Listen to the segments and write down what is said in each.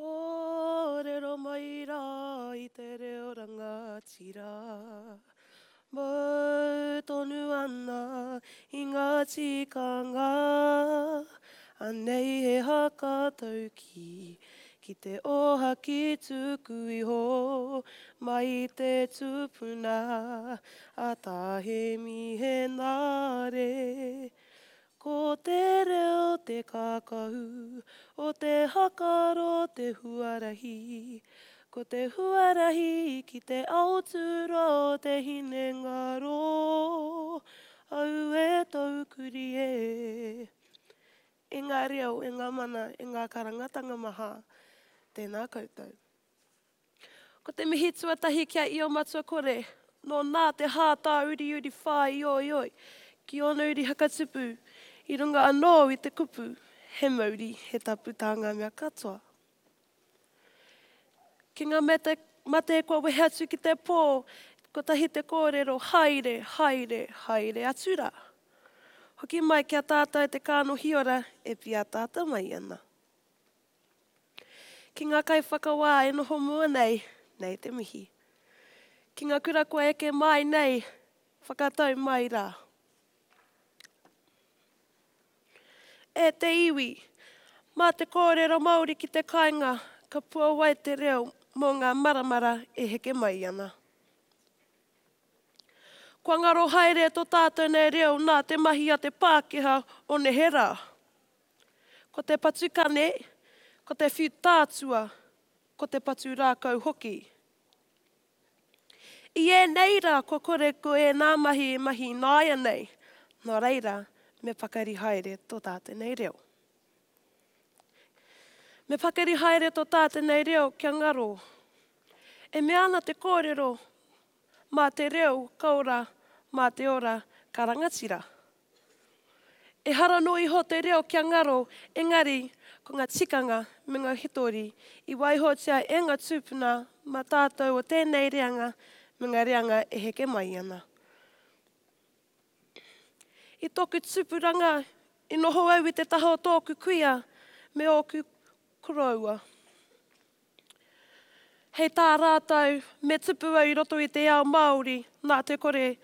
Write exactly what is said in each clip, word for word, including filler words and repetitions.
Kōrero mai rā i te reo rangatira. Mau tonu ana i ngā tikanga. Anei he haka taukī ki te ōhaki tuku iho mai i te tupuna a Tā Hēmi Henare. Ko te reo te kākahu o te hakaro te huarahi. Ko te huarahi ki te ao tūroa o te hinengaro. Auē taukuri e. E ngā reo, e ngā mana, e ngā karangatanga maha, tēnā koutou. Ko te mihi tuatahi ki a Io Matua Kore, nō nā te hā tāuriuri whāioioi ki ōna uri hakatupu, i runga anō i te kupu, he mauri, he tapu tā ngā mea katoa. Ki ngā mate, mate kua wehe atu ki te pō, kotahi te kōrero, haere, haere, haere atu rā. Hoki mai ki a tātou te kānohi ora e pīataata mai ana. Ki ngā kaiwhakawā e noho mua nei, nei te mihi. Ki ngā kura kua eke mai nei, whakatau mai rā. E te iwi, mā te kōrero Māori ki te kāinga, ka puawai te reo mō ngā maramara e heke mai ana. Kua ngaro haere tō tātou nei reo nā te mahi a te Pākehā o neherā. Ko te patu kane, ko te whiu tātua, ko te patu rākau hoki. I ēnei rā kua kore ko ēnā mahi e mahi ināianei, nō reira me pakari haere tō tātou nei reo. Me pakari haere tō tātou nei reo kia ngaro. E mea ana te kōrero, mā te reo ka ora, mā te ora ka rangatira. Ehara noa iho te reo kia ngaro, engari ko ngā tikanga me ngā hitori i waihotia e ngā tūpuna mā tātou o tēnei reanga me ngā reanga e heke mai ana. I tōku tupuranga, i noho au i te taha o tōku kuia me ōku koroua. Hei tā rātou, me tupu au i roto i te ao Māori, nā te kore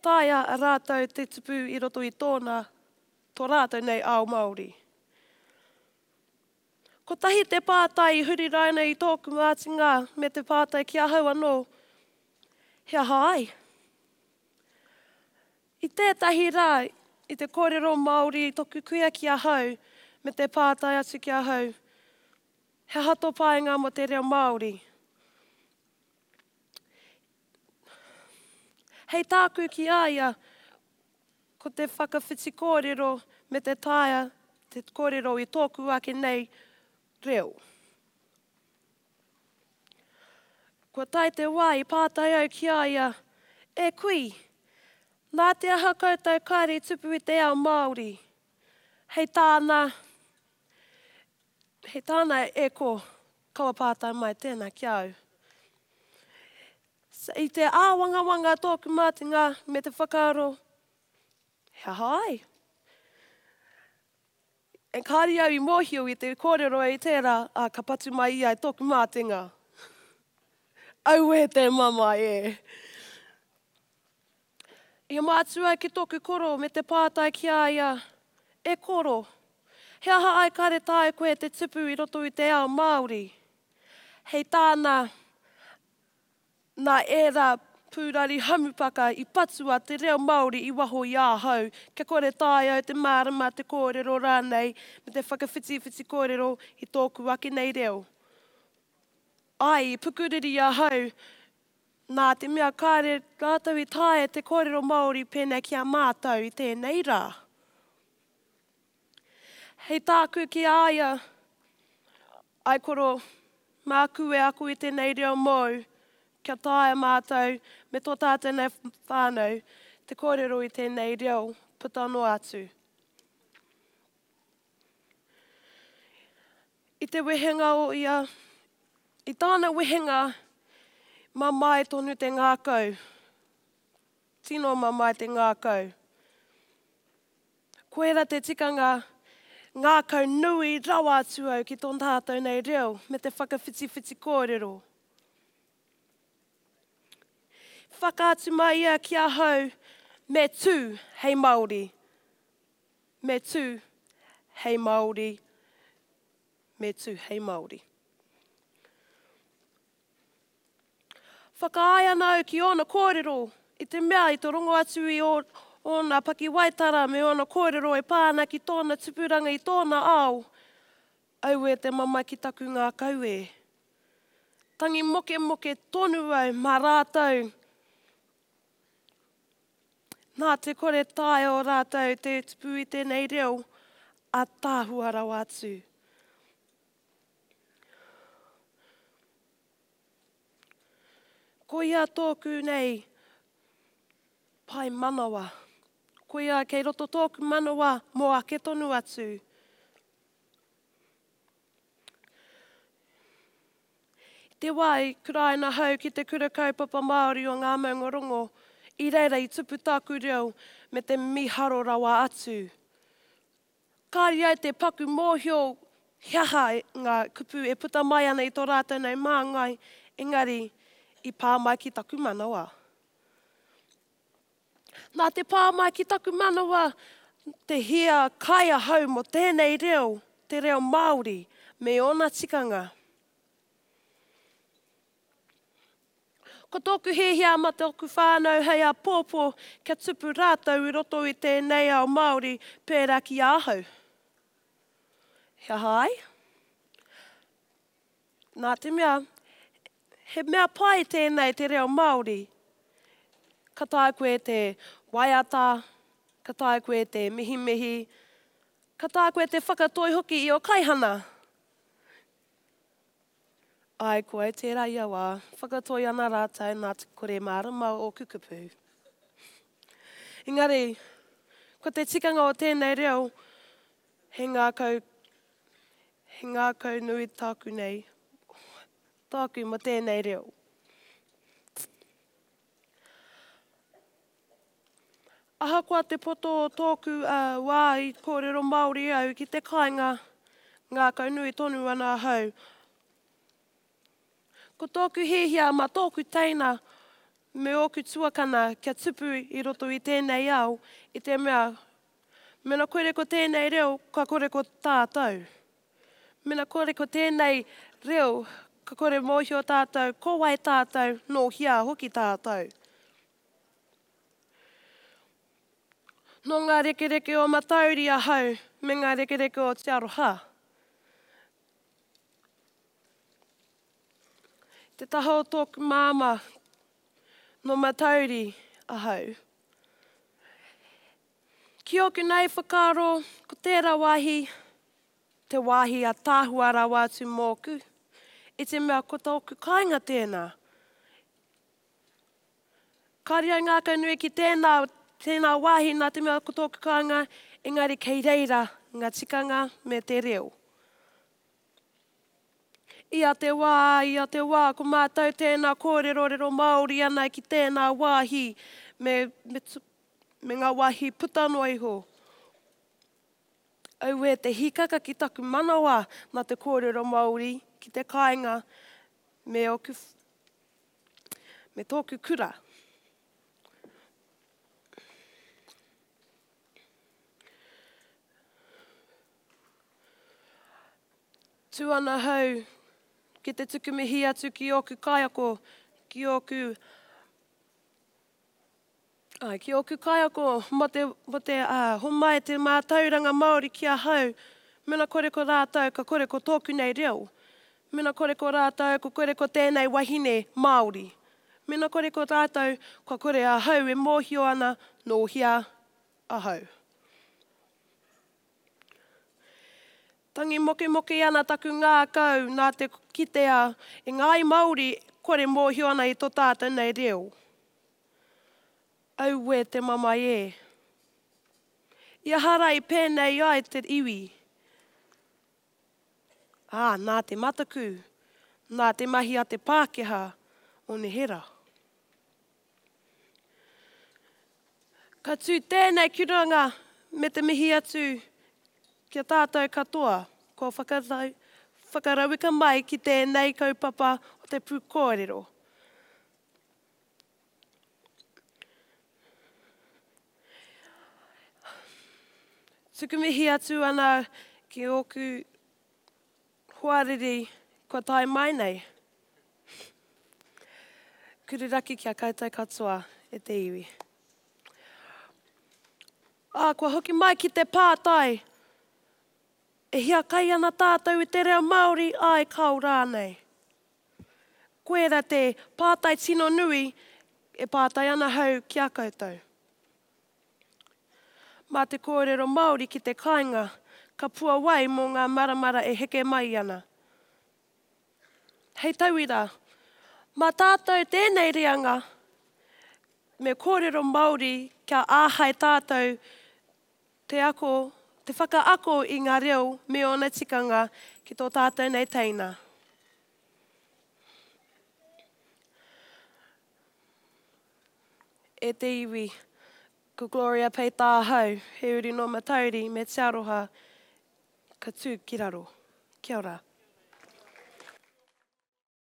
taea a rātou te tupu i roto i tōna, tō rātou nei ao Māori. Kotahi te pātai i huri raina i tōku mātinga me te pātai ki ahau anō, he aha ai? I tētahi rā, i te kōrero Māori tōku kuia ki ahau me te pātai atu ki ahau, he aha tō painga mō te reo Māori? Hei tāku ki a ia, ko te whakawhiti kōrero me te taea te kōrero i tōku ake nei reo. Kua tae te wā i pātai au ki a ia, e kui, nā te aha koutou kāre i tupu i te ao Māori? Hei tāna, hei tāna e ko, kaua pātai mai tēnā ki a au. I te āwangawanga tōku mātinga me te whakaaro, he aha ai? E kāre au i mōhio i te kōrero i tērā, ā, ka patu mai ia i tōku mātinga. Auē te mamae e! I mātua au ki tōku koro me te pātai ki a ia, e koro, he aha ai kāre taea koe te tupu i roto i te ao Māori? Hei tāna, nā ērā pūrari hamupaka i patua te reo Māori i waho i ahau, kia kore taea au te mārama, te kōrero rānei, me te whakawhitiwhiti kōrero i tōku ake nei reo. Ai, i pukuriri ahau, nā te mea kāre rātou i taea te kōrero Māori pēnei ki a mātou i tēnei rā. Hei tāku ki a ia, ai koro, māku e ako i tēnei reo mōu, kia taea mātou me tō tātou nei whānau te kōrero i tēnei reo puta noa atu. I te wehenga o ia, i tāna wehenga, mamae tonu te ngākau. Tino mamae te ngākau. Koira te tikanga, Ngākau nui rawa atu au ki tō tātou nei reo me te whakawhitiwhiti kōrero. Whakaatu mai ia ki ahau, me tū hei Māori. Me tū hei Māori. Me tū hei Māori. Whakaae ana au ki ōna kōrero, i te mea i te rongo atu i ōna pakiwaitara me ōna kōrero e pā ana ki tōna tupuranga i tōna ao, auē te mamae ki taku ngākau e. Tangi mokemoke tonu au mā rātou. Nā te kore taea o rātou te tupu i tēnei reo, ātaahua rawa atu. Koia tōku nei pae manawa. Koia kei roto tōku manawa mō ake tonu atu. I te wā i kuraina ahau ki te Kura Kaupapa Māori o Ngā Maungarongo, i reira i tupu tāku reo me te miharo rawa atu. Kāre ai te paku mōhio he aha ngā kupu e puta mai ana i tō rātou nei māngai, engari i pā mai ki taku manawa. Nā te pā mai ki taku manawa te hia kai ahau mō tēnei reo, te reo Māori, me ōna tikanga. Ko tōku hiahia mā tōku whānau hei āpōpō kia tupu rātou i roto i tēnei ao Māori pērā ki ahau. He aha ai? Nā te mea, he mea pai tēnei te reo Māori. Ka taea koe te waiata, ka taea koe te mihimihi, ka taea koe te whakatoi hoki i ō kaihana. Āe, ko au tērā ia wā, whakatoi ana rātou nā te kore mārama o ōku kupu. Engari, ko te tikanga o tēnei reo, he ngākau, he ngākau nui tāku nei, tāku mō tēnei reo. Ahakoa te poto o tōku wā i kōrero Māori au ki te kāinga, ngākau nui tonu ana ahau. Ko tōku hiahia mā tōku teina me ōku tuakana kia tupu i roto i tēnei ao, i te mea, mena kore ko tēnei reo, ka kore ko tātou. Mena kore ko tēnei reo, ka kore mōhio tātou, ko wai tātou, nō hea hoki tātou. Nō ngā rekereke o Matauri ahau me ngā rekereke o Te Aroha. Te taha o tōku māmā, nō Matauri ahau. Ki ōku nei whakaaro, ko tērā wāhi, te wāhi ātaahua rawa atu mōku, i te mea ko tōku kāinga tēnā. Kāre au ngākaunui ki tēnā, tēnā wāhi nā te mea ko tōku kāinga, engari kei reira ngā tikanga me te reo. Ia te wā, ia te wā, ko mātou tēnā kōrerorero Māori ana ki tēnā wāhi me, me, me ngā wāhi puta noa iho. Auē te hīkaka ki taku manawa nā te kōrero Māori ki te kāinga me ōku, me tōku kura. Tū ana hau ki te tuku mihi atu ki ōku kaiako, ki ōku, ai, ki ōku kaiako mō te, mō te uh, homai te mātauranga Māori ki ahau. Mena kore ko rātou, ka kore ko tōku nei reo. Mena kore ko rātou, ko kore ko tēnei wahine Māori. Mena kore ko rātou, kua kore ahau e mōhio ana nō hea ahau. Tangi mokemoke ana taku ngākau nā te kitea e ngāi Māori kore mōhio ana i tō tātou nei reo. Auē te mamae e. I aha rā i pēnei ai te iwi? Ā, nā te mataku, nā te mahi a te Pākehā o nehera. Ka tū tēnei ki runga me te mihi atu ki a tātou katoa kua whakatau, whakarauika mai ki tēnei kaupapa o te pūkōrero. Tuku mihi atu ana ki ōku hoariri kua tae mai nei. Kururaki ki a koutou katoa e te iwi. Ā, kua hoki mai ki te pātai, e hiakai ana tātou i te reo Māori, āe kāo rānei? Koira te pātai tino nui e pātai ana hau ki a koutou. Mā te kōrero Māori ki te kāinga, ka puawai mō ngā maramara e heke mai ana. Hei tauira, mā tātou tēnei reanga me kōrero Māori kia āhei tātou te ako, te whakaako i ngā reo me ōna tikanga ki tō tātou nei teina. E te iwi, ko Gloria Peita ahau, he uri nō Matauri me Te Aroha, ka tū ki raro. Kia ora.